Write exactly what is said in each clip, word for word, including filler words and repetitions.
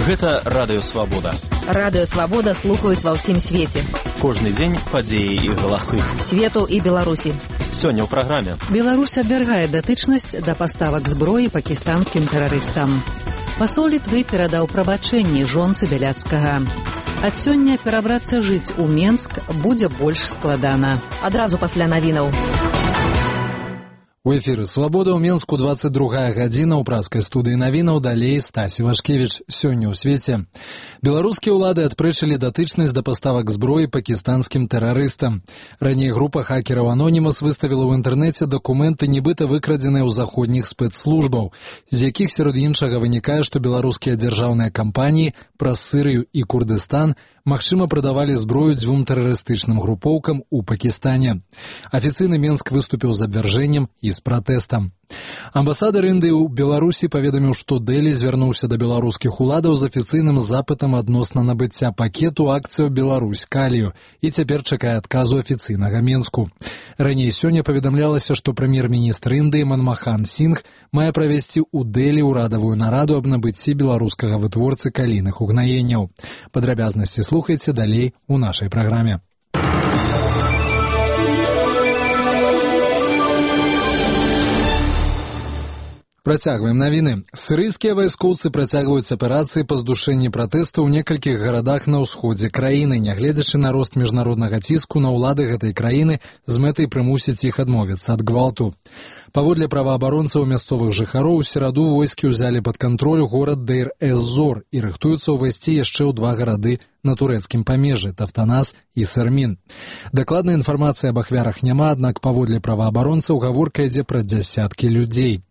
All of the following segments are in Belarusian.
Гэта Радыё Свабода. Радыё Свабода слухаюць ва ўсім свеце. Кожны дзень падзеі і галасы. Свету і Беларусі. Сёння ў праграме. Беларусь абвяргае датычнасць да паставак зброі пакістанскім тэрарыстам. Пасол Літвы перадаў прабачэнні жонцы Бяляцкага. Ад сёння перабрацца жыць у Менск будзе больш складана. Адразу пасля навінаў. У эфіры «Свабода» ў Менску двадцать другая гадзіна ў праскай студыі навінаў, далей Стасі Вашкевіч. Сёння ў свеце. Беларускія ўлады адпрэчылі датычнасць да паставак зброі пакістанскім тэрарыстам. Раней група хакераў «Анонімас» выставіла ў інтэрнэце дакументы, нібыта выкрадзеныя ў заходніх спецслужбаў, з якіх сярод іншага вынікае, што беларускія дзяржаўныя кампаніі праз Сырыю і Курдыстан магчыма прадавалі зброю дзвюм тэрарыстычным групоўкам у Пакістане. Афіцыйны Менск выступіў з абвяржэннем і з пратэстам. Амбасадар Індыі ў Беларусі паведаміў, што Дэлі звярнуўся да беларускіх уладаў з афіцыйным запытам адносна набыцця пакету акцыяў «Беларусь калію» і цяпер чакае адказу афіцыйнага Менску. Раней сёння паведамлялася, што прэм'ер-міністр Індыі Манмахан Сінг мае правесці ў Дэлі ўрадавую нараду аб набыцці беларускага вытворцы калійных угнаенняў. Падрабязнасці слухайце далей у нашай праграме. Працягваем навіны. Сірыйскія вайскоўцы працягваюць аперацыі па здушэнні пратэстаў у некалькіх гарадах на ўсходзе краіны, нягледзячы на рост міжнароднага ціску на ўлады гэтай краіны з мэтай прымусіць іх адмовіцца ад гвалту. Паводле праваабаронцаў мясцовых жыхароў, у сераду войскі ўзялі пад кантроль горад Дейр-эз-Зор і рыхтуюцца ўвайсці яшчэ ў два гарады на турэцкім памежжы – Тафтанас і Сэрмін. Дакладнай інфармацыі аб ахвярах няма, аднак паводле праваабаронцаў гаворка ідзе пра дзясяткі людзей.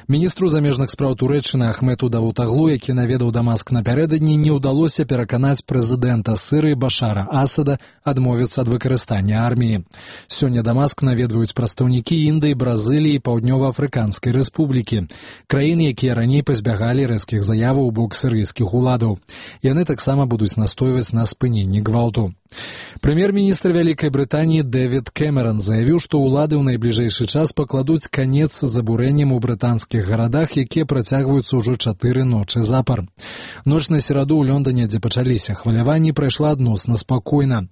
Міністру замежных спраў Турэччыны Ахмету Давутаглу, які наведаў Дамаск напярэдадні, не ўдалося пераканаць прэзідэнта Сырыі Башара Асада адмовіцца ад выкарыстання арміі. Сёння Дамаск наведваюць прадстаўнікі Індыі, Бразыліі і Паўднёва-Афрыканскай рэспублікі, краіны, якія раней пазбягалі рэзкіх заяваў у бок сірыйскіх уладаў. Яны таксама будуць настойваць на спыненні гвалту. Прэм'ер-міністр Вялікай Брытаніі Дэвід Кэмеран заявіў, што ўлады ў найбліжэйшы час пакладуць канец забурэнням у брытанскіх гарадах, якія працягваюцца ўжо чатыры ночы запар. Ноч на сераду ў Лондоне, дзе пачаліся хваляванні, прайшла адносна спакойна.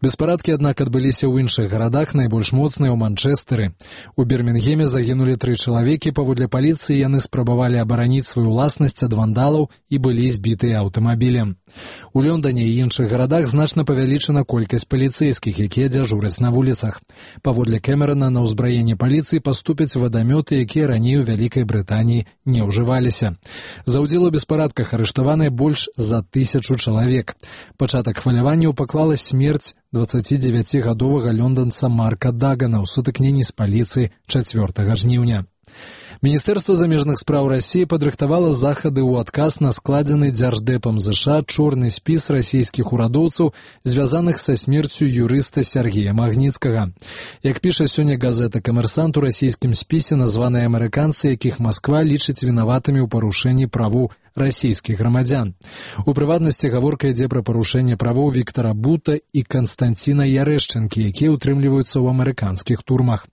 Беспарадкі, аднак, адбыліся ў іншых гарадах, найбольш моцныя ў Манчэстэры. У Бірмінгеме загінулі тры чалавекі, паводле паліцыі яны спрабавалі абараніць сваю ўласнасць ад вандалаў і былі збітыя аўтамабілем. У Лондоне і іншых гарадах значна павялічана колькасць паліцэйскіх, якія дзяжураць на вуліцах. Паводле Кэмерана, на ўзбраенне паліцыі паступяць вадамёты, якія раней у Вялікай Брытаніі не ўжываліся. За ўдзел у беспарадках арыштаваныя больш за тысячу чалавек. Пачатак хваляванняў паклала смерць дваццацідзевяцігадовага лонданца Марка Дагана ў сутыкненні з паліцыяй чацвёртага жніўня. Міністэрства замежных спраў Расіі падрыхтавала захады ў адказ на складзены дзярждэпам ЗША чорны спіс расійскіх урадоўцаў, звязаных са смерцю юрыста Сергея Магніцкага. Як піша сёння газета «Камерсант», у расійскім спісе названыя амерыканцы, якіх Масква лічыць вінаватымі ў парушэнні правоў расійскіх грамадзян. У прыватнасці гаворка ідзе пра парушэнне правоў Віктара Бута і Канстанціна Ярэшчынкі, якія ўтрымліваюцца ў амерыканскіх турмах.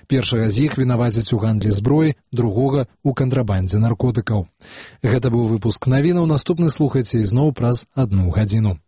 Першага з іх вінавацяць у гандлі зброі, другога – у кантрабандзе наркотыкаў. Гэта быў выпуск навінаў. Наступны слухайце ізноў праз адну гадзіну.